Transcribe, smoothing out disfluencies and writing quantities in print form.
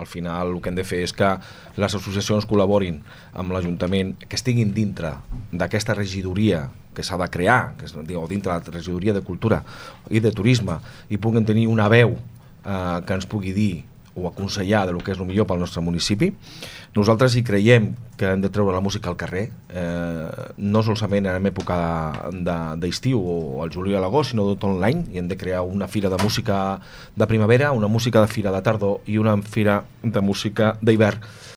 Al final el que hem de fer és que les associacions col·laborin amb l'Ajuntament, que estiguin dintre d'aquesta regidoria que s'ha de crear, que és, dintre la regidoria de Cultura i de Turisme, i puguen tenir una veu que ens pugui dir o aconsellar del que és el millor pel nostre municipi. Nosaltres hi creiem que hem de treure la música al carrer, no solament en època d'estiu o al juliol a l'agost, sinó tot l'any, i hem de crear una fira de música de primavera, una música de fira de tardor i una fira de música d'hivern.